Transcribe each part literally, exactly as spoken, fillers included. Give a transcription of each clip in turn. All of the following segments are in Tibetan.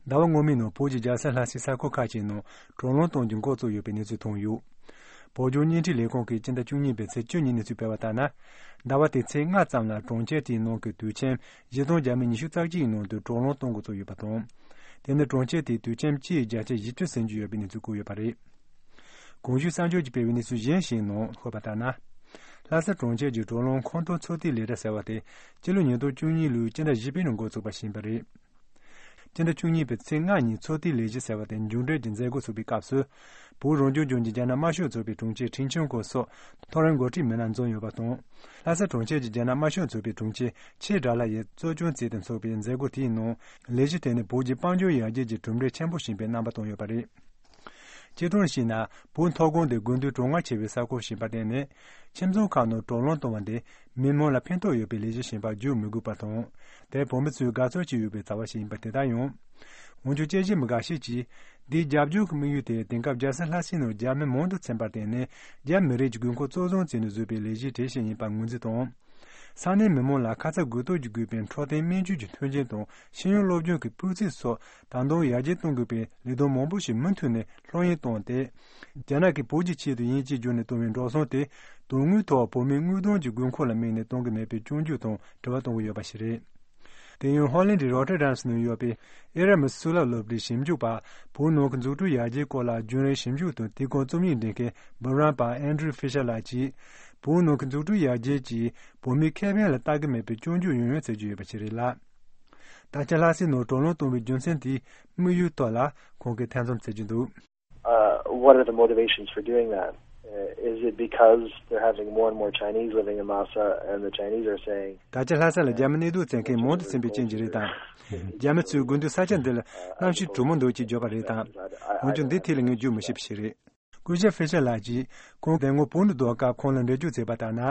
ཟླ་བ་སྔོན་མའི་ནང་བོད་ཀྱི་རྒྱལ་ས་ལྷ་སའི་ས་ཁུལ་ཁག་ཅིག་ནང་དྲག་རླུང་གཏོང་རྒྱུ་འགོ་བཙུགས་ཡོད་པའི་གནས་ཚུལ་ཐོན་ཡོད། བོད་ལྗོངས་བརྙན་འཕྲིན་ལས་ཁུངས་ཀྱིས་སྤྱི་ཟླ་བཅུ་གཉིས་པའི་ཚེས་བཅུ་གཉིས་གནས་ཚུལ་སྤེལ་བ་ལྟར་ན། ཟླ་བ་དེའི་ཚེས་ལྔ་ཙམ་ལ་གྲོང་ཁྱེར་དེའི་ནང་གི་དུད་ཁྱིམ་བཞི་སྟོང་བརྒྱ་མེད་ཉི་ཤུ་རྩ་གཅིག་ཡི་ནང་དུ་དྲག་རླུང་གཏོང་འགོ་བཙུགས་ཡོད་པ་དང་། དེ་ནི་གྲོང་ཁྱེར་དེའི་དུད་ཁྱིམ་སྤྱིའི་བརྒྱ་ཆ་བཞི་བཅུ་ཟིན་རྒྱུ་ཡོད་པའི་གནས་ཚུལ་བཀོད་ཡོད་པ་རེད། གོང་ཞུས་གསར་འགྱུར་གྱིས་སྤེལ་བའི་གནས་ཚུལ་གཞན་ཞིག་ནང་འཁོད་པ་ལྟར་ན། ལྷ་ས་གྲོང་ཁྱེར་གྱི་དྲག་རླུང་ཁོངས་གཏོགས་ཚོད་ལྟའི་ལས་གྲྭ་ཟེར་བ་དེ་སྤྱི་ལོ་ཉིས་སྟོང་བཅུ་གཉིས་ལོའི་སྤྱི་ཟླ་བཞི་པའི་ནང་འགོ་བཙུགས་པ་ཞིག་ཡིན་པ་རེད། སྤྱི་ཟླ་བཅུ་གཉིས་པའི་ཚེས་ལྔ་ཉིན་ཚོད་ལྟའི་ལས་གཞི་ཟེར་བ་དེ་མཇུག་འབྲས་ཀྱི་མཛད་སྒོ་ཚུགས་པའི་སྐབས་སུ། བོད་རང་སྐྱོང་ལྗོངས་ཀྱི་རྒྱ་ནག་དམར་ཤོག་ཚོགས་པའི་དྲུང་ཆེ་ཁྲིན་ཆོན་ཀོ་སོགས་མཐོ་རིམ་འགོ་ཁྲིད་མི་སྣ་འཛོམས་ཡོད་པ་དང་། ལྷ་ས་གྲོང་ཁྱེར་གྱི་རྒྱ་ནག་དམར་ཤོག་ཚོགས་པའི་དྲུང་ཆེ་ཆེ་དགྲ་ལྷ་ཡིས་གཙོ་སྐྱོང་བྱས་ཏེ་འཚོགས་པའི་མཛད་སྒོ་དེའི་ནང་ལས་གཞི་དེ་ནི་བོད་ཀྱི་དཔལ་འབྱོར་ཡར་རྒྱས་ཀྱི་གྲུབ་འབྲས་ཆེན་པོ་ཞིག་ཡིན་པའི་རྣམ་པ་བསྟན་ཡོད་པ་རེད། སྤྱིར་བཏང་བྱས་ན་བོད་མཐོ་སྒང་དེ་དགུན་དུས་གྲང་ངར་ཆེ་བའི་ས་ཁུལ་ཞིག་ཡིན་པར་བརྟེན་ནས། ཁྱིམ་ཚང་ཁག་ནང་དྲག་རླུང་གཏོང་བ་འདི་མི་མང་ལ་ཕན་ཐོགས་ཡོད་པའི་ལས་གཞི་ཞིག་ཡིན་པར་བརྗོད་མི་དགོས་པ་དང་། དེ་བོད་མི་ཚོས་དགའ་ཚོར་བྱེད་འོས་པའི་བྱ་བ་ཞིག་ཡིན་པ་དེ་ལྟར་ཡང་། འོན་ཀྱང་དཔྱད་ཞིབ་མི་འགའ་ཞིག་གིས། འདིའི་རྒྱབ་ལྗོངས་ཀྱི་དམིགས་ཡུལ་དེ་དེང་སྐབས་རྒྱལ་ས་ལྷ་སའི་ནང་རྒྱ་མི་མང་དུ་ཚུད་པར་བརྟེན་ནས། རྒྱ་མི་རིགས་ཀྱི་དགོས་མཁོ་གཙོ་བཟུང་བྱས་ནས་བཟོས་པའི་ལས་གཞི་དེ་ཞིག་ཡིན་པར་ངོས་འཛིན་དང་། ས་གནས་མི་མང་ལ་ཁ་ཚ་དགོས་གཏུགས་ཀྱིས་བསྒོས་པའི་འཕྲོད་བསྟེན་སྨན་བཅོས་ཀྱི་མཐུན་རྐྱེན་དང་ཤེས་ཡོན་སློབ་སྦྱོང་གི་སྤུས་ཚད་སོགས་ད་དུང་ཡར་རྒྱས་གཏོང་དགོས་པའི་ལས་དོན་མང་པོ་ཞིག་མུ་མཐུད་ནས་ལྷོད་གཡེང་བཏང་སྟེ། རྒྱ་ནག་གིས་བོད་ཀྱི་ཆེད་དུ་དབྱིན་ཇིས་བརྒྱུད་ནས་བཏང་བའི་འགྲོ་སོང་དེ་དོན་དངོས་ཐོག་བོད་མིའི་དངུལ་གཏོང་གི་དགོས་མཁོ་ལ་དམིགས་ནས་གཏོང་གི་མེད་པའི་སྐྱོན་བརྗོད་དང་དྲི་བ་གཏོང་གི་ཡོད་པ་ཞིག་རེད། དེ་ཡང་ཧོ་ལན་ཌི་རོ་ཊར་ཌམ་ནང་ཡོད་པའི་ཨེ་ར་མི་སུ་ལ་སློབ་གྲྭའི་ཞིབ་འཇུག་པ། བོད་ནང་གི་འཛུགས་སྐྲུན་ཡར་རྒྱས་སྐོར་ལ་རྒྱུན་རིང་ཞིབ་འཇུག་དང་དེའི་སྐོར་རྩོམ་ཡིག་འབྲི་མཁན་འབུམ་རམས་པ་ཨན་ཌྲུ་ཧྥི་ཤར་ལགས་ཀྱིས། བོད་ནང་གི་འཛུགས་སྐྲུན་ཡར་རྒྱས་ཀྱིས་བོད་མིའི་ཁེ་ཕན་ལ་ལྟ་གི་མེད་པའི་སྐྱོན་བརྗོད་ཡང་ཡང་བྱེད་ཀྱི་ཡོད་པ་ཞིག་རེད་ལ། ད་ཆ་ལྷ་སའི་ནང་དྲག་རླུང་གཏོང་བའི་རྒྱུ་མཚན་དེའི་དམིགས་ཡུལ་ཐོག་ལ་ཁོང་གིས་ཐེ་ཚོམ་བྱེད་ཀྱི་འདུག Uh, what are the motivations for doing that? Uh, is it because they're having more and more Chinese living in Lhasa and the Chinese are saying, ད་ཆ་ལྷ་ས་ལ་རྒྱ་མི་གནས་སྡོད་བྱེད་མཁན་མང་དུ་ཕྱིན་པའི་རྐྱེན་གྱིས་རེད་དམ། རྒྱ་མི་ཚོས་དགུན་དུས་ས་ཆ་འདི་ལ་གནམ་གཤིས་དྲོ་མོ་འདུག་ཅེས་བརྗོད་པ་རེད་དམ། འོན་ཀྱང་འདི་ཐད་ལ་ངས་བརྗོད་མི་ཤེས་པ་ཞིག་རེད། སྐུ་ཞབས་ཧྥེ་ཤར་ལགས་ཀྱིས་ཁོང་དེ་སྔོན་བོད་དུ་སྡོད་སྐབས་ཁོང་ལ་འགྲེལ་བརྗོད་བྱས་པ་ལྟར་ན།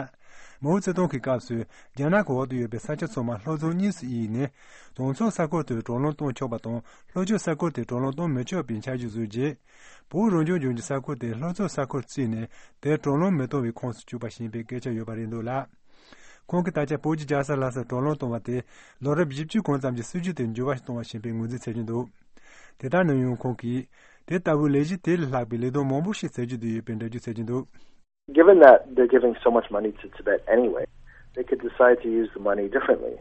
མའོ་ཙེ་ཏུང་གི་སྐབས་སུ་རྒྱ་ནག་གི་འོག་ཏུ་ཡོད་པའི་ས་ཆ་ཚང་མ་ལྷོ་ཕྱོགས་གཉིས་སུ་དབྱེ་ནས། དྭངས་གཙང་ས་ཁུལ་དེར་དྲག་རླུང་གཏོང་ཆོག་པ་དང་། ལྷོ་ཕྱོགས་ས་ཁུལ་དེར་དྲག་རླུང་གཏོང་མི་ཆོག་པའི་འཆར་གཞི་བཟོས་རྗེས། བོད་རང་སྐྱོང་ལྗོངས་ཀྱི་ས་ཁུལ་དེ་ལྷོ་ཕྱོགས་ས་ཁུལ་བརྩིས་ནས། དེར་དྲག་རླུང་མི་གཏོང་བའི་ཁོངས་སུ་བཅུག་པ་ཞིག་ཡིན་པའི་སྐད་ཆ་ཡོད་པ་རེད་འདུག་ལ། ཁོང་གིས་ད་ཆ་བོད་ཀྱི་རྒྱལ་ས་ལྷ་སར་དྲག་རླུང་གཏོང་བ་དེ་ལོ་རབས་བཞི་བཅུ་གོང་ཙམ་གྱི་སྲིད་བྱུས་དེ་འགྱུར་བ་གཏོང་བ་ཞིག་ཡིན་པའི་ངོས་འཛིན་བྱེད་ཀྱི་འདུག་དེ་ལྟར་ན་ཡང་ཁོང་གིས། དེ་ལྟ་བུའི་ལས་གཞི་དེ་ལས་ལྷག་པའི་ལས་དོན་མང་པོ་ཞིག་བྱེད་རྒྱུ་དེ་ཡོད་པའི་འགྲེལ་བརྗོད་བྱེད་ཀྱི་འདུག Given that they're giving so much money to Tibet anyway, they could decide to use the money differently,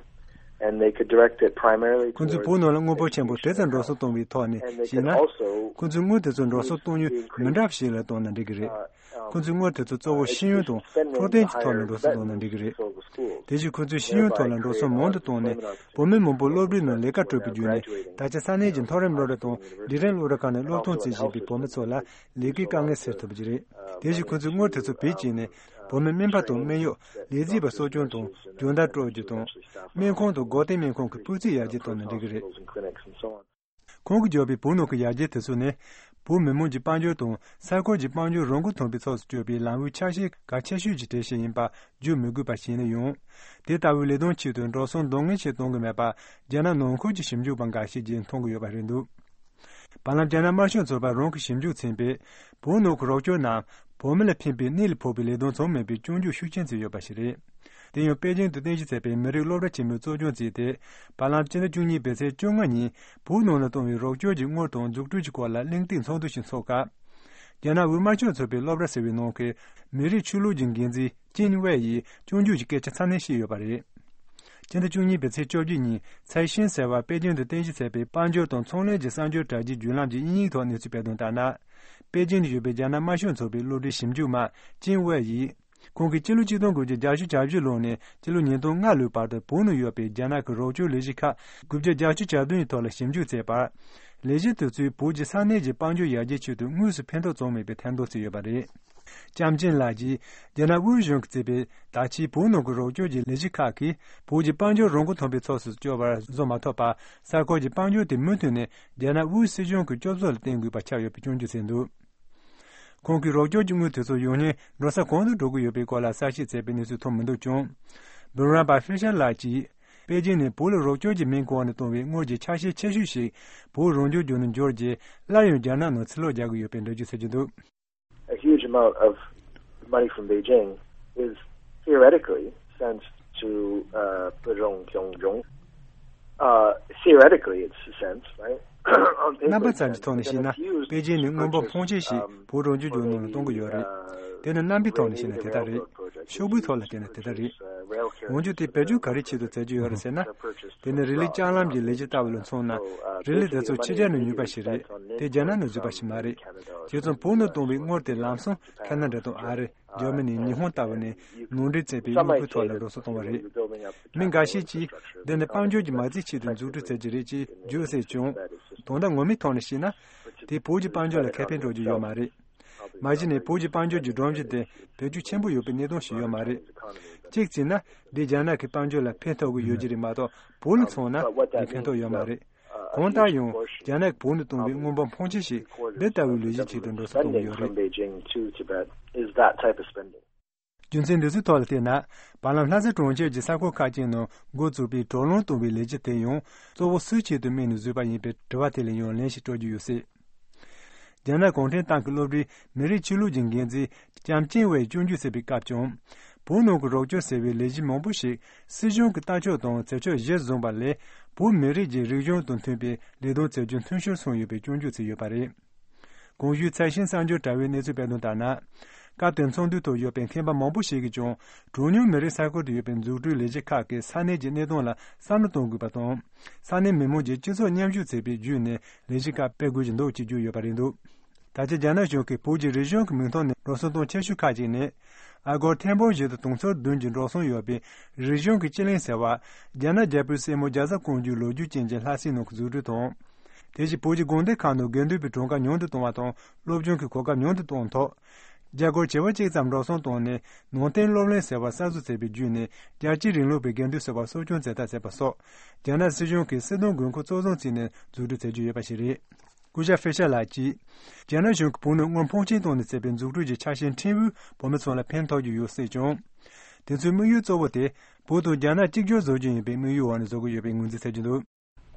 and they could direct it primarily ཁོང་ཚོས་བོད་ནང་ལ་དངུལ་འབོར་ཆེན་པོ་དེ་ཙམ་འགྲོ་སོང་གཏོང་བའི་ཐོག་ནས་ཞིག་ན། ཁོང་ཚོས་དངུལ་དེ་ཚོ་འགྲོ་སོང་གཏོང་ཡུལ་མི་འདྲ་བ་ཞིག་ལ་གཏོང་ན་འགྲིག་གི་རེད། ཁོང་ཚོས་དངུལ་དེ་ཚོ་གཙོ་བོ་ཤེས་ཡོན་དང་འཕྲོད་བསྟེན་གྱི་ཐོག་ལ་འགྲོ་སོང་གཏོང་ན་འགྲིག་གི་རེད། དེ་བཞིན་ཁོང་ཚོས་ཤེས་ཡོན་ཐོག་ལ་འགྲོ་སོང་མང་དུ་བཏང་ནས་བོད་མི་མང་པོ་སློབ་གྲྭའི་ནང་ལས་ཀ་སྤྲོད་པའི་བརྒྱུད་ནས་ད་ཆ་ས་གནས་ཀྱི་མཐོ་རིམ་སློབ་གྲྭ་དང་འབྲིང་རིམ་སློབ་གྲྭ་ཁག་ནས་སློབ་སྟོན་བྱེད་བཞིན་པའི་བོད་མི་ཚོ་ལ་ལས་ཀའི་དཀའ་ངལ་སེལ་ཐུབ་ཀྱི་རེད། དེ་བཞིན་ཁོང་ཚོས་དངུལ་དེ་ཚོ་བེད་སྤྱད་ནས་བོད་མི་སྨན་པ་དང་སྨན་གཡོག་ལས་བྱེད་པ་གསོ་སྐྱོང་དང་སྦྱོང་བརྡར་སྤྲོད་རྒྱུ་དང་། སྨན་ཁང་དང་སྒོ་བསྟེན་སྨན་ཁང་གི་སྤུས་ཚད་ཡར་རྒྱས་གཏོང་ན་འགྲིག་གི་རེད། ཁོང་གིས་བརྗོད་པའི་བོད་ནང་གི་ཡར་རྒྱས་དེ་ཚོ་ནི། བོད་མི་མང་གི་དཔལ་འབྱོར་དང་ས་ཁུལ་གྱི་དཔལ་འབྱོར་རང་འགུལ་ཐོན་པའི་ཕྱོགས་སུ་བསྐྱོད་པའི་ལམ་བུའི་ཆ་ཤས་གལ་ཆེ་ཤོས་ཀྱི་གྲས་ཤིག་ཡིན་པ་བརྗོད་མི་དགོས་པ་ཞིག་ཡིན་ན་ཡང་། དེ་ལྟ་བུའི་ལས་དོན་ཆེད་དུ་འགྲོ་སོང་འདང་ངེས་ཤིག་གཏོང་གི་མེད་པ། རྒྱ་ནག་ནང་ཁུལ་གྱི་ཞིབ་འཇུག་པ་འགའ་ཤས་ཀྱིས་མཐོང་གི་ཡོད་པ་རེད་འདུག་བར་ལམ་རྒྱ་ནག་དམར་ཤོག་ཚོགས་པ་རང་གི་ཞིབ་འཇུག་ཚན་པས། བོད་ནང་གི་རོགས་སྐྱོར་རྣམས་བོད་མི་ལ་ཕན་པའི་གནད་ལ་ཕོག་པའི་ལས་དོན་ཚང་མ་མེད་པའི་སྐྱོན་བརྗོད་ཤུགས་ཆེན་བྱས་ཡོད་པ་ཞིག་རེད། དེ་ཡང་པེ་ཅིང་དུ་རྟེན་གཞི་བྱས་པའི་མི་རིགས་སློབ་གྲྭ་ཆེན་མོས་གཙོ་སྐྱོང་བྱས་ཏེ། བར་ལམ་སྤྱི་ཟླ་བཅུ་གཉིས་པའི་ཚེས་བཅོ་ལྔ་ཉིན་བོད་ནང་ལ་གཏོང་བའི་རོགས་སྐྱོར་གྱི་དངུལ་དང་འཛུགས་སྐྲུན་གྱི་སྐོར་ལ་གླེང་སྟེགས་ཚོགས་འདུ་ཞིག་འཚོགས་སྐབས། རྒྱ་ནག་དབུས་དམར་ཤོག་ཚོགས་པའི་སློབ་གྲྭ་ཟེར་བའི་ནང་གི་མི་རིགས་ཆོས་ལུགས་ཀྱི་འགན་འཛིན་ཅིན་ཝེ་ཡིས་སྐྱོན་བརྗོད་ཀྱི་སྐད་ཆ་ཚ་ནན་བཤད་ཡོད་པ་རེད། སྤྱི་ཟླ་བཅུ་གཉིས་པའི་ཚེས་བཅོ་བརྒྱད་ཉིན་ཚའེ་ཤིན་ཟེར་བ་པེ་ཅིང་དུ་རྟེན་གཞི་བྱས་པའི་དཔལ་འབྱོར་དང་ཚོང་ལས་ཀྱི་གསར་འགྱུར་དྲ་རྒྱའི་བརྒྱུད་ལམ་གྱི་དབྱིན་ཡིག་ཐོག་གནས་ཚུལ་སྤེལ་དོན་ལྟར་ན། པེ་ཅིང་དུ་ཡོད་པའི་རྒྱ་ནག་དམར་ཤོག་ཚོགས་པའི་སློབ་གྲྭའི་ཞིབ་འཇུག་མ་ཅིན་ཝེ་ཡིས། ཁོང་གིས་སྤྱི་ལོ་ཆིག་སྟོང་དགུ་བརྒྱ་བརྒྱད་ཅུ་གྱ་བཞི་ལོ་ནས་སྤྱི་ལོ་ཉིས་སྟོང་ལྔ་ལོའི་བར་དུ་བོད་ནང་ཡོད་པའི་རྒྱ་ནག་གི་རོགས་སྐྱོར་ལས་གཞི་ཁག་དགུ་བརྒྱ་བརྒྱད་ཅུ་གྱ་བདུན་ཡི་ཐོག་ལ་ཞིབ་འཇུག་བྱས་པར། ལས་གཞི་དེ་ཚོས་བོད་ཀྱི་ས་གནས་ཀྱི་དཔལ་འབྱོར་ཡར་རྒྱས་ཆེད་དུ་དངོས་སུ་ཕན་ཐོགས་བྱུང་མེད་པའི་ཐེར་འདོན་བྱས་ཡོད་པ་རེད། ལྕམ་ཅིན་ལགས་ཀྱིས་རྒྱ་ནག་དབུས་གཞུང་གིས་བརྩིས་པའི་ད་ཆའི་བོད་ནང་གི་རོགས་སྐྱོར་གྱི་ལས་གཞི་ཁག་གིས་བོད་ཀྱི་དཔལ་འབྱོར་རང་འགུལ་ཐོན་པའི་ཕྱོགས་སུ་བསྐྱོད་པར་བཟོ་མ་ཐུབ་པར། ས་ཁུལ་གྱི་དཔལ་འབྱོར་དེ་མུ་མཐུད་ནས་རྒྱ་ནག་དབུས་སྲིད་གཞུང་གི་སྐྱོབ་གསོ་ལ་བརྟེན་དགོས་པ་ཆགས་ཡོད་པའི་སྐྱོན་བརྗོད་བྱས་འདུག་ཁོང་གིས་རོགས་སྐྱོར་གྱི་དངུལ་དེ་ཚོ་ཡང་སྙིང་འགྲོ་ས་གང་དུ་འགྲོ་གི་ཡོད་པའི་སྐོར་ལ་གསལ་བཤད་བྱས་པའི་གནས་ཚུལ་ཐོན་མི་འདུག་ཀྱང་། འབུམ་རམས་པ་ཧྥེ་ཤར་ལགས་ཀྱིས། པེ་ཅིང་ནས་བོད་ལ་རོགས་སྐྱོར་གྱི་མིང་གོང་ནས་བཏོན་པའི་དངུལ་གྱི་ཆ་ཤས་ཆེ་ཤོས་ཤིག་བོད་རང་སྐྱོང་ལྗོངས་ནས་འབྱོར་རྗེས། སླར་ཡང་རྒྱ་ནག་ནང་ཕྱིར་ལོག་རྒྱག་གི་ཡོད་པའི་འགྲེལ་བརྗོད་བྱེད་ཀྱི་འདུག A huge amount of money from Beijing is theoretically sent to uh, Pudong Kyongjong. Uh, theoretically, it's sent, right? རྣམ་པ་ཙམ་གྱི་ཐོག་ནས་བཤད་ན། པེ་ཅིན་ནས་དངོས་འབབ་ཕོན་ཆེ་ཞིག་བོད་གྲོང་ཁྱེར་བརྒྱུད་ནང་ལ་གཏོང་གི་ཡོད་རེད། དེ་ནི་རྣམ་པའི་ཐོག་ནས་བཤད་ན་དེ་ལྟར་རེད། ཤོག་བུའི་ཐོག་ལ་བལྟས་ན་དེ་ལྟར་རེད། འོན་ཀྱང་དེ་བེད་སྤྱོད་ག་རེ་ཆེད་དུ་བྱ་རྒྱུ་ཡོད་རེད་ཟེར་ན། དེ་ནི་རི་ལི་ལྕགས་ལམ་གྱི་ལས་གཞི་ལྟ་བུ་ལ་མཚོན་ན། རི་ལི་དེ་ཚོ་ཕྱི་རྒྱལ་ནས་ཉོས་པ་ཞིག་རེད། དེ་རྒྱ་ནག་ནས་བཟོས་པ་ཞིག་མ་རེད། དེ་ཚོ་བོད་ནས་གཏོང་བའི་དངུལ་དེ་ལམ་སང་ཁ་ན་ཌ་དང་ཨ་རི། འཇར་མ་ནི། ཉི་ཧོང་ལྟ་བུ་ནས་ནང་འདྲེན་བྱས་པའི་དངོས་པོའི་ཐོག་ལ་འགྲོ་སོང་གཏོང་བ་རེད། མི་འགའ་ཤས་ཀྱིས་འདི་ནི་དཔལ་འབྱོར་གྱི་མ་རྩའི་ཆེད་དུ་འཛུགས་སྐྲུན་བྱེད་ཀྱི་རེད་ཅེས་བརྗོད་སྲིད་ཀྱང་། དོན་དག་ངོ་མའི་ཐོག་ནས་བཤད་ན། དེས་བོད་ཀྱི་དཔལ་འབྱོར་ལ་ཁེ་ཕན་སྤྲོད་རྒྱུ་ཡོད་མ་རེད། མ་གཞི་ནས་བོད་ཀྱི་དཔལ་འབྱོར་གྱི་སྒྲོམ་གཞི་དེ་བེད་སྤྱོད་ཆེན་པོ་ཡོད་པའི་གནས་སྟངས་ཤིག་ཡོད་མ་རེད། གཅིག་བྱས་ན། འདིས་རྒྱ་ནག་གི་དཔལ་འབྱོར་ལ་ཕན་ཐོགས་ཀྱི་ཡོད་ཀྱི་རེད་མ་གཏོགས། བོད་ལ་མཚོན་ན་འདིས་ཕན་ཐོགས་ཡོད་མ་རེད། གང་ལྟར་ཡང་། རྒྱ་ནག་གིས་བོད་ནས་གཏོང་བའི་དངོས་འབབ་ཕོན་ཆེ་ཞིག་འདི་ལྟ་བུའི་ལས་གཞི་ཆེད་དུ་འགྲོ་སོང་གཏོང་གི་ཡོད་རེད། རྒྱུ་མཚན་འདི་ཚོའི་ཐོག་ལ་བལྟས་ན། བར་ལམ་ལྷ་ས་གྲོང་ཁྱེར་གྱི་ས་ཁུལ་ཁག་ཅིག་ནང་འགོ་བཙུགས་པའི་དྲོད་རླངས་གཏོང་བའི་ལས་གཞི་དེ་ཡང་གཙོ་བོ་སུའི་ཆེད་དུ་དམིགས་ནས་བཟོས་པ་ཡིན་པའི་དྲི་བ་དེ་ལ་ཡང་ལན་ཞིག་སྤྲོད་རྒྱུ་ཡོད་སྲིད། རྒྱ་ནག་གུང་ཁྲན་ཏང་གི་སློབ་གྲྭའི་མི་རིགས་ཆོས་ལུགས་ཀྱི་འགན་འཛིན་ལྕམ་ཅིང་ཝེས་སྐྱོན་བརྗོད་བྱས་པའི་སྐབས་ཀྱང་། བོད་ནང་གི་རོགས་སྐྱོར་ཟེར་བའི་ལས་གཞི་མང་པོ་ཞིག་སྲིད་གཞུང་གི་ལྟ་ཕྱོགས་དང་བྱེད་ཕྱོགས་གཞིར་བཟུང་བ་ལས། བོད་མི་རིགས་ཀྱི་རིག་གཞུང་དང་མཐུན་པའི་ལས་དོན་བྱེད་རྒྱུ་མཐུན་སྦྱོར་སོང་ཡོད་པའི་སྐྱོན་བརྗོད་བྱས་ཡོད་པ་རེད། གོང་ཞུས་ཚད་ཤིང་གསར་འགྱུར་དྲ་བའི་གནས་ཚུལ་སྤེལ་དོན་ལྟར་ན། སྐབས་དེར་ཚོགས་འདུའི་ཐོག་ཡོད་པའི་མཁས་པ་མང་པོ་ཞིག་གིས་ཀྱང་། གྲངས་ཉུང་མི་རིགས་ས་ཁུལ་དུ་ཡོད་པའི་འཛུགས་སྐྲུན་ལས་གཞི་ཁག་གིས་ས་གནས་ཀྱི་གནས་སྟངས་ལ་བསམ་བློ་གཏོང་དགོས་པ་དང་། ས་གནས་མི་མང་གྱིས་སྤྱི་ཚོགས་མཉམ་ཞུགས་བྱེད་པའི་བརྒྱུད་ནས་ལས་གཞི་ཁག་སྤེལ་དགོས་ཀྱི་འདུག་ཅེས་བརྗོད་ཡོད་པ་རེད་འདུག་ད་ཆ་རྒྱ་ནག་གཞུང་གིས་བོད་ཀྱི་རིག་གཞུང་གི་མིང་ཐོག་ནས་འགྲོ་སོང་གཏོང་ཆེ་ཤོས་ཁག་ཅིག་ནི། ཨ་སྒོར་ཐེར་འབུམ་བཞི་དང་དུང་ཕྱུར་བདུན་གྱི་འགྲོ་སོང་ཡོད་པའི་རིག་གཞུང་གི་སྤྱི་གླིང་ཟེར་བ། རྒྱ་ནག་རྒྱལ་པོའི་སྲས་མོ་རྒྱ་བཟའ་ཀོང་ཇོའི་ལོ་རྒྱུས་ཅན་གྱི་ལྷ་སའི་ནང་གི་འཛུགས་སྐྲུན་དང་། དེ་བཞིན་བོད་ཀྱི་དགོན་སྡེ་ཁག་ནང་དགེ་འདུན་པའི་གྲངས་ཀ་ཉུང་དུ་གཏོང་བ་དང་སློབ་སྦྱོང་གི་གོ་སྐབས་ཉུང་དུ་གཏོང་ཐབས། རྒྱ་སྒོར་བྱེ་བ་གཅིག་ཙམ་འགྲོ་སོང་བཏང་ནས་ནང་བསྟན་སློབ་གླིང་ཟེར་བ་གསར་བཟོ་བྱས་པའི་བརྒྱུད་ནས་རྒྱལ་གཅེས་རིང་ལུགས་པའི་དགེ་འདུན་ཟེར་བ་གསོ་སྐྱོང་མཛད་ཐབས་བྱས་པ་སོགས། རྒྱ་ནག་སྲིད་གཞུང་གིས་སྲིད་དོན་དགོས་མཁོ་གཙོ་བཟུང་བྱས་ནས་འཛུགས་སྐྲུན་བྱེད་ཀྱི་ཡོད་པ་ཞིག་རེད། སྐུ་ཞབས་ཧྥེ་ཤར་ལགས་ཀྱིས། རྒྱ་ནག་གཞུང་གིས་བོད་ནང་དངུལ་ཕོན་ཆེན་བཏང་ནས་བྱས་པའི་འཛུགས་སྐྲུན་གྱི་ཆ་ཤས་ཕྲན་བུ་བོད་མི་ཚོ་ལ་ཕན་ཐོགས་ཀྱི་ཡོད་སྲིད་ཀྱང་། དེ་ཚོའི་དམིགས་ཡུལ་གཙོ་བོ་དེ་བོད་དང་རྒྱ་ནག་གཅིག་གྱུར་བཟོ་རྒྱུ་ཡིན་པའི་དམིགས་ཡུལ་འོག་ནས་བཟོ་གི་ཡོད་པའི་ངོས་འཛིན་བྱེད་ཀྱི་འདུག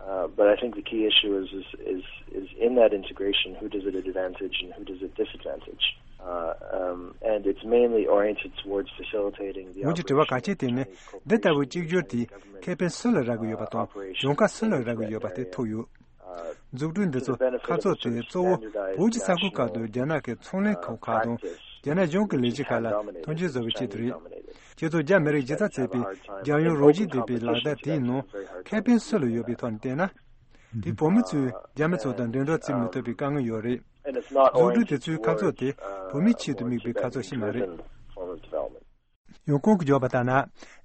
Uh, but I think the key issue is, is, is, is in that integration, who does it advantage and who does it disadvantage? Uh, um, and it's mainly oriented towards facilitating the འོན་ཀྱང་དྲི་བ་གལ་ཆེ་དེ་ནི། འདི་ལྟ་བུའི་གཅིག་གྱུར་དེས་ཁེ་ཕན་སུ་ལ་རག་གི་ཡོད་པ་དང་གྱོང་ཁ་སུ་ལ་རག་གི་ཡོད་པ་དེ་ཐུག་ཡོད། འཛུགས་སྐྲུན་འདི་ཚོ་ཁ་ཕྱོགས་དེ་གཙོ་བོ་བོད་ཀྱི་ས་ཁུལ་ཁག་ཏུ་རྒྱ་ནག་གི་ཚོང་ལས་ཁང་ཁག་དང་རྒྱ་ནག་གཞུང་གི་ལས་གཞི་ཁག་ལ་མཐུན་རྐྱེན་བཟོ་བའི་ཆེད་དུ་རེད། ཁྱེད་ཚོ་རྒྱ་མི་རིགས་ཇི་ལྟར་བྱས་པའི་རྒྱལ་ཡོངས་རོགས་ཞུ་ལྡན་པའི་ལག་བསྟར་དེའི་ནང་ཁེ་ཕན་སུ་ལ་ཡོད་པའི་ཐོག་ནས་བལྟས་ན། དེ་བོད་མི་ཚོས་རྒྱ་མི་ཚོ་དང་འགྲན་བསྡུར་བྱེད་མི་ཐུབ་པའི་དཀའ་ངལ་ཡོད་རེད། འཛུགས་སྐྲུན་དེ་ཚོའི་ཁ་ཕྱོགས་དེ་བོད་མིའི་ཆེད་དུ་དམིགས་པའི་ཁ་ཕྱོགས་ཤིག་མ་རེད། ཡང་ཁོང་གིས་བརྗོད་པ་ལྟར་ན།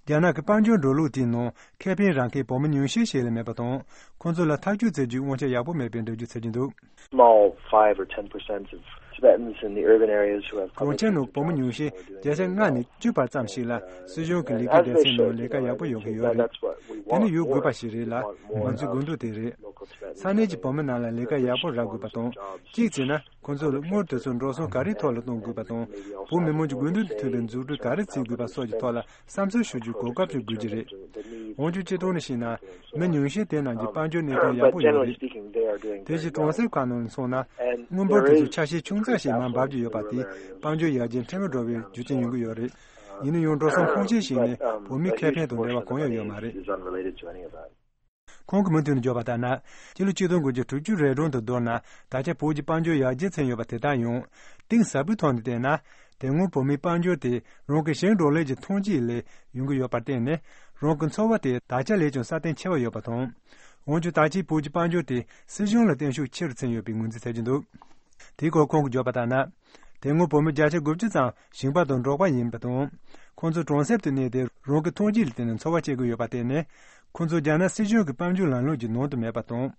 རྒྱ་ནག་གི་དཔལ་འབྱོར་འགྲོ་ལུགས་དེའི་ནང་ཁེ་ཕན་རག་མཁན་བོད་མི་ཉུང་ཤས་ཤིག་ལས་མེད་པ་དང་། ཁོང་ཚོ་ལ་ཐག་གཅོད་བྱེད་རྒྱུའི་དབང་ཆ་ཡག་པོ་མེད་པའི་འགྲེལ་བརྗོད་བྱེད་ཀྱི་འདུག Small five or ten percent of Tibetans in the urban areas who have གྲོང་ཁྱེར་ནང་བོད་མི་ཉུང་ཤས་བརྒྱ་ཆ་ལྔ་ནས་བཅུ་བར་ཙམ་ཞིག་ལ་སྲིད་གཞུང་གི་ལས་ཀའི་སྡེ་ཚན་ནང་ལས་ཀ་ཡག་པོ་ཡོད་མཁན་ཡོད་རེད། དེ་ནི་ཡོད་དགོས་པ་ཞིག་རེད་ལ། ང་ཚོའི་དགོས་འདུན་དེ་རེད། ས་གནས་ཀྱི་བོད་མི་རྣམས་ལ་ལས་ཀ་ཡག་པོ་རག་དགོས་པ་དང་། གཅིག་བྱས་ན། ཁོང་ཚོ་ལ་དངུལ་དེ་ཚོ་འགྲོ་སོང་ག་རེའི་ཐོག་ལ་གཏོང་དགོས་པ་དང་། བོད་མི་མང་གི་དགོས་འདུན་དང་མཐུན་པའི་འཛུགས་སྐྲུན་ག་རེ་བྱེད་དགོས་པ་སོགས་ཀྱི་ཐོག་ལ་བསམ་ཚུལ་ཞུ་རྒྱུའི་གོ་སྐབས་ཤིག་དགོས་ཀྱི་རེད། འོན་ཀྱང་སྤྱིར་བཏང་ནས་བཤད་ན། མི་ཉུང་ཤས་དེ་རྣམས་ཀྱི་དཔལ་འབྱོར་གནས་སྟངས་ཡག་པོ་ཡོད་རེད། དེ་བཞིན་གྲོང་གསེབ་ཁག་ནང་ལ་སོང་ན། དངུལ་འབོར་དེ་ཚོ་ཆ་ཤས་ཆུང་ཙག་ཞིག་མར་འབབ་ཀྱི་ཡོད་པ་དེས་དཔལ་འབྱོར་ཡར་རྒྱས་ཕྲན་བུ་འགྲོ་བའི་རྒྱུ་རྐྱེན་ཡོང་གི་ཡོད་རེད། ཡིན་ན་ཡང་འགྲོ་སོང་ཕོན་ཆེ་ཞིག་ནི་བོད་མིའི་ཁེ་ཕན་དང་འབྲེལ་བ་གང་ཡང་ཡོད་མ་རེད། Is unrelated to any of that. ཁོང་གིས་མུ་མཐུད་ནས་བརྗོད་པ་ལྟར་ན། སྤྱི་ལོ་ཆིག་སྟོང་དགུ་བརྒྱ་དྲུག་ཅུ་རེ་གྲངས་དང་བསྡུར་ན། ད་ཆ་བོད་ཀྱི་དཔལ་འབྱོར་ཡར་རྒྱས་ཕྱིན་ཡོད་པ་དེ་དག་ཡང་། གཏིང་ཟབ་པོའི་ཐོག་ནས་བལྟས་ན། དེ་སྔོན་བོད་མིའི་དཔལ་འབྱོར་དེ་རང་གི་ཞིང་འབྲོག་ལས་ཀྱི་ཐོན་སྐྱེད་ལས་ཡོང་གི་ཡོད་པར་བརྟེན་ནས། རང་གི་འཚོ་བ་དེ་ད་ཆ་ལས་ཀྱང་སྲ་བརྟན་ཆེ་བ་ཡོད་པ་དང་། འོན་ཀྱང་ད་ཆའི་བོད་ཀྱི་དཔལ་འབྱོར་དེ་སྲིད་གཞུང་ལ་བརྟེན་ཤུགས་ཆེ་རུ་ཕྱིན་ཡོད་པའི་ངོས་འཛིན་བྱེད་ཀྱི་འདུག་དེའི་སྐོར་ཁོང་གིས་བརྗོད་པ་ལྟར་ན། དེ་སྔོན་བོད་མི་བརྒྱ་ཆ་དགུ་བཅུ་ཙམ་ཞིང་པ་དང་འབྲོག་པ་ཡིན་པ་དང་། ཁོང་ཚོ་གྲོང་གསེབ་ཏུ་གནས་ཏེ་རང་གི་ཐོན་སྐྱེད་ལ་བརྟེན་ནས་འཚོ་བ་སྐྱེལ་གྱི་ཡོད་པར་བརྟེན་ནས། ཁོང་ཚོ་རྒྱ་ནག་སྲིད་གཞུང་གི་དཔལ་འབྱོར་ལམ་ལུགས་ཀྱི་ནང་དུ་མེད་པ་དང་།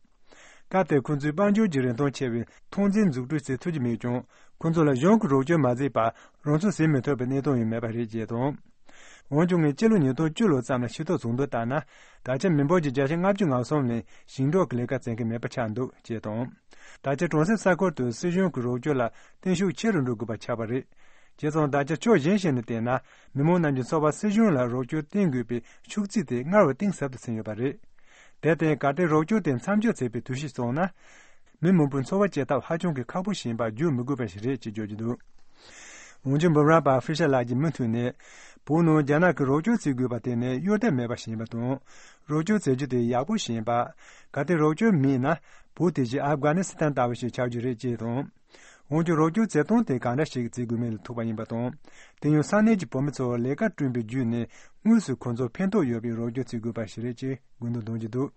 སྐབས་དེར་ཁོང་ཚོའི་དཔལ་འབྱོར་གྱི་རིན་ཐང་ཆེ་བའི་ཐོན་རྫས་འཛུགས་སྐྲུན་བྱེད་ཐུབ་ཀྱི་མེད་ཀྱང་། ཁོང་ཚོ་ལ་གཞུང་གི་རོགས་སྐྱོར་མ་བྱས་པར་རང་ཚོ་ཟིན་མི་ཐུབ་པའི་གནས་སྟངས་ཡང་མེད་པ་རེད་ཅེས་དང་། འོན་ཀྱང་ངས་སྤྱི་ལོ་ཉིས་སྟོང་བཅུ་ལོ་ཙམ་ལ་ཤེས་རྟོགས་བྱུང་དོན་ལྟར་ན། ད་ཆ་མི་འབོར་གྱི་བརྒྱ་ཆ་ལྔ་བཅུ་ང་གསུམ་ནས་ཞིང་འབྲོག་གི་ལས་ཀ་བྱེད་མཁན་མེད་པ་ཆགས་འདུག་ཅེས་དང་། ད་ཆ་གྲོང་གསེབ་ས་ཁུལ་དུ་སྲིད་གཞུང་གི་རོགས་སྐྱོར་ལ་བརྟན་ཤུགས་ཆེ་རུ་འགྲོ་དགོས་པ་ཆགས་པ་རེད། བྱས་ཙང་ད་ཆ་ཕྱོགས་གཞན་ཞིག་ནས་བལྟས་ན། མི་མང་རྣམས་ཀྱི་འཚོ་བར་སྲིད་གཞུང་ལ་རོགས་སྐྱོར་བརྟེན་དགོས་པའི་ཤུགས་ཚད་དེ་སྔར་བས་གཏིང་ཟབ་ཏུ་ཕྱིན་ཡོད་པ་རེད། དེར་བརྟེན་གལ་ཏེ་རོགས་སྐྱོར་དེ་མཚམས་འཇོག་བྱས་པའི་དུས་ཤིག་སོང་ན། མི་མང་པོའི་འཚོ་བ་སྐྱེལ་ཐབས་ཧ་ཅང་གི་ཁག་པོ་ཞིག་ཡིན་པ་བརྗོད་མི་དགོས་པ་ཞིག་རེད་ཅེས་བརྗོད་ཀྱི་འདུག་འོན་ཀྱང་འབུམ་རམས་པ་ཧྥི་ཤར་ལགས་ཀྱིས་མུ་མཐུད་ནས། བོད་ནང་རྒྱ་ནག་གིས་རོགས་སྐྱོར་བྱེད་དགོས་པ་དེ་ནི་གཡོལ་ཐབས་མེད་པ་ཞིག་ཡིན་པ་དང་། རོགས་སྐྱོར་བྱེད་རྒྱུ་དེ་ཡག་པོ་ཞིག་ཡིན་པ། གལ་ཏེ་རོགས་སྐྱོར་མེད་ན། བོད་དེ་བཞིན་ཨབ་གྷ་ནི་སི་ཐན་ལྟ་བུ་ཞིག་ཆགས་རྒྱུ་རེད་ཅེས་དང་། འོན་ཀྱང་རོགས་སྐྱོར་བྱེད་སྟངས་དེ་གང་འདྲ་ཞིག་བྱེད་དགོས་མིན་ལ་ཐུག་པ་ཡིན་པ་དང་། དེ་ཡང་ས་གནས་ཀྱི་བོད་མི་ཚོར་ལས་ཀ་བསྐྲུན་པའི་བརྒྱུད་ནས་དངོས་སུ་ཁོང་ཚོར་ཕན་ཐོགས་ཡོད་པའི་རོགས་སྐྱོར་བྱེད་དགོས་པ་ཞིག་རེད་ཅེས་དགོངས་དོན་གཏོང་གི་འདུག་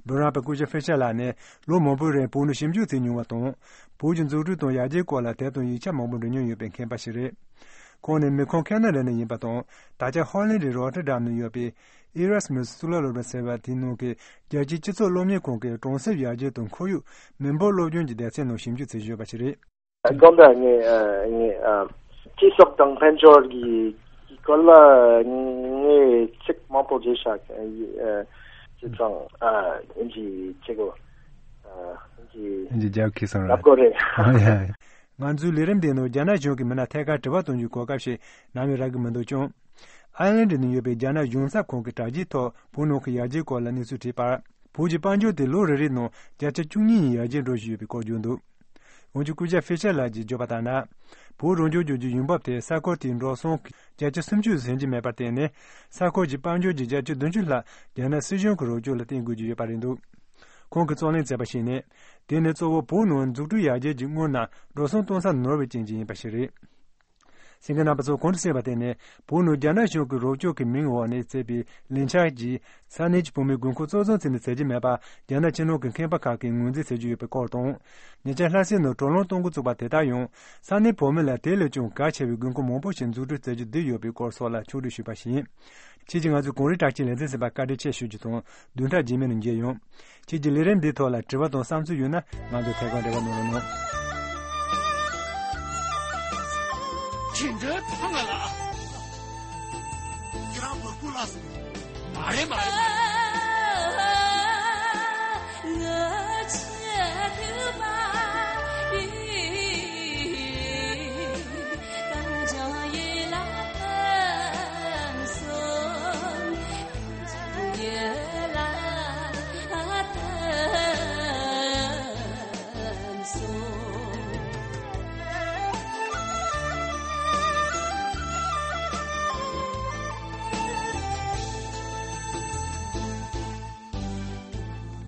འབུམ་རམས་པ་སྐུ་ཞབས་ཧྥི་ཤར་ལགས་ནི་ལོ་མང་པོའི་རིང་བོད་ནང་ཞིབ་འཇུག་བྱས་མྱོང་བ་དང་། བོད་ཀྱི་འཛུགས་སྐྲུན་དང་ཡར་རྒྱས་སྐོར་ལ་དེབ་དང་ཡིག་ཆ་མང་པོ་འབྲི་མྱོང་ཡོད་པའི་མཁས་པ་ཞིག་རེད། ཁོང་ནི་མི་ཁོངས་ཁེ་ན་ཌ་ནས་ཡིན་པ་དང་། ད་ཆ་ཧོ་ལན་ཌི་རོ་ཊར་ཌམ་ནང་ཡོད་པའི་ཨི་རཱས་མུས་གཙུག་ལག་སློབ་གྲྭ་ཟེར་བ་དེའི་ནང་གི་རྒྱལ་སྤྱིའི་སྤྱི་ཚོགས་སློབ་གཉེར་ཁང་གི་གྲོང་གསེབ་ཡར་རྒྱས་དང་ཁོར་ཡུག་མི་འབོར་སློབ་སྦྱོང་གི་སྡེ་ཚན་ནང་ཞིབ་འཇུག་བྱེད་བཞིན་ཡོད་པ་ཞིག་རེད། དགོངས་དག་ངས་ཨ་ངས་ཨ་སྤྱི་ཚོགས་དང་དཔལ་འབྱོར་གྱི་གྱི་སྐོར་ལ་ངས་ཚིག་མང་པོ་བརྗོད་བཞག་ཨ་སྤྱི་ཚོགས་ཨ་ཡིན་གྱི་ཆེ་གོ་ཨ་ཡིན་གྱི་ཡིན་གྱི་རྒྱབ་ཁེ་སང་ར། ལབ་དགོས་རེད། ཨ་ཡ། ང་ཚོའི་ལས་རིམ་འདི་ནང་རྒྱ་ནག་གཞུང་གིས་མི་སྣ་ཐད་ཀར་དྲི་བ་གཏོང་རྒྱུའི་གོ་སྐབས་ཤིག་ནམ་ཡང་རག་གི་མི་འདུག་ཀྱང་། ཨའི་ལན་ཌི་ནང་ཡོད་པའི་རྒྱ་ནག་གཞུང་ཚབ་ཁང་གི་དྲ་རྒྱའི་ཐོག་བོད་ནང་གི་ཡར་རྒྱས་སྐོར་ལ་གནས་ཚུལ་བྲིས་པར། བོད་ཀྱི་དཔལ་འབྱོར་དེ་ལོ་རེ་རེའི་ནང་བརྒྱ་ཆ་བཅུ་གཉིས་ཡར་རྒྱས་འགྲོ་བཞིན་ཡོད་པའི་སྐོར་བརྗོད་འདུག་འོན་ཀྱང་སྐུ་ཞབས་ཧྥི་ཤར་ལགས་ཀྱིས་བརྗོད་པ་ལྟར་ན། བོད་རང་སྐྱོང་ལྗོངས་ཀྱི་ཡོང་འབབ་དེ་ས་ཁུལ་དེའི་འགྲོ་སོང་བརྒྱ་ཆ་སུམ་ཅུ་ཟིན་གྱི་མེད་པར་བརྟེན་ནས། ས་ཁུལ་གྱི་དཔལ་འབྱོར་གྱི་བརྒྱ་ཆ་བདུན་ཅུ་ལྷག་རྒྱ་ནག་སྲིད་གཞུང་གི་རོགས་སྐྱོར་ལ་བརྟེན་དགོས་ཀྱི་ཡོད་པ་རེད་འདུག་ཁོང་གིས་རྩོད་ལེན་མཛད་པར་གཞིགས་ནས། དེ་ནི་གཙོ་བོ་བོད་ནང་འཛུགས་སྐྲུན་ཡར་རྒྱས་ཀྱི་སྔོན་ན་འགྲོ་སོང་གཏོང་ས་ནོར་བའི་རྐྱེན་གྱིས་ཡིན་པ་ཞིག་རེད། གསན་མཁན་རྣམ་པ་ཚོ་གོང་དུ་གསན་པ་དེ་ནི་བོད་ནང་རྒྱ་ནག་གཞུང་གི་རོགས་སྐྱོར་གྱི་མིང་འོག་ནས་བྱས་པའི་ལས་འཆར་གྱིས་ས་གནས་ཀྱི་བོད་མིའི་དགོས་མཁོ་གཙོ་བཟུང་བྱས་ནས་བྱེད་ཀྱི་མེད་པ་རྒྱ་ནག་ཕྱི་ནང་གི་མཁས་པ་ཁག་གིས་ངོས་འཛིན་བྱེད་ཀྱི་ཡོད་པའི་སྐོར་དང་། ཉེ་ཆར་ལྷ་སའི་ནང་དྲག་རླུང་གཏོང་འགོ་བཙུགས་པ་དེ་དག་ཡང་ས་གནས་བོད་མི་ལ་དེ་ལས་ཀྱང་གལ་ཆེ་བའི་དགོས་མཁོ་མང་པོ་ཞིག་འཛུགས་སྐྲུན་བྱེད་རྒྱུ་བསྡད་ཡོད་པའི་སྐོར་སོགས་ལ་ཕྱོགས་བསྒྲིགས་ཞུས་པ་ཞིག་ཡིན། ཁྱེད་ཀྱིས་ང་ཚོའི་གངས་རི་བྲག་ཅའི་ལེ་ཚན་ཟིན་པར་བཀའ་དྲིན་ཆེ་ཞུ་རྒྱུ་དང་བདུན་ཕྲག་རྗེས་མའི་ནང་མཇལ་ཡོང་། ཁྱེད་ཀྱི་ལས་རིམ་འདིའི་ཐོག་ལ་དྲི་བ་དང་བསམ་ཚུལ་ཡོད་ན་ང་ཚོ་ཐད་ཀར་འབྲེལ་བ་གནང་རོགས་གནང་། ཁྱེད་འདྲའི་ཐང་ང་ལ། ཁྱེད་རང་བུ་སྐུ་ལ་སོང་། མ་རེད་མ་རེད་མ་རེད།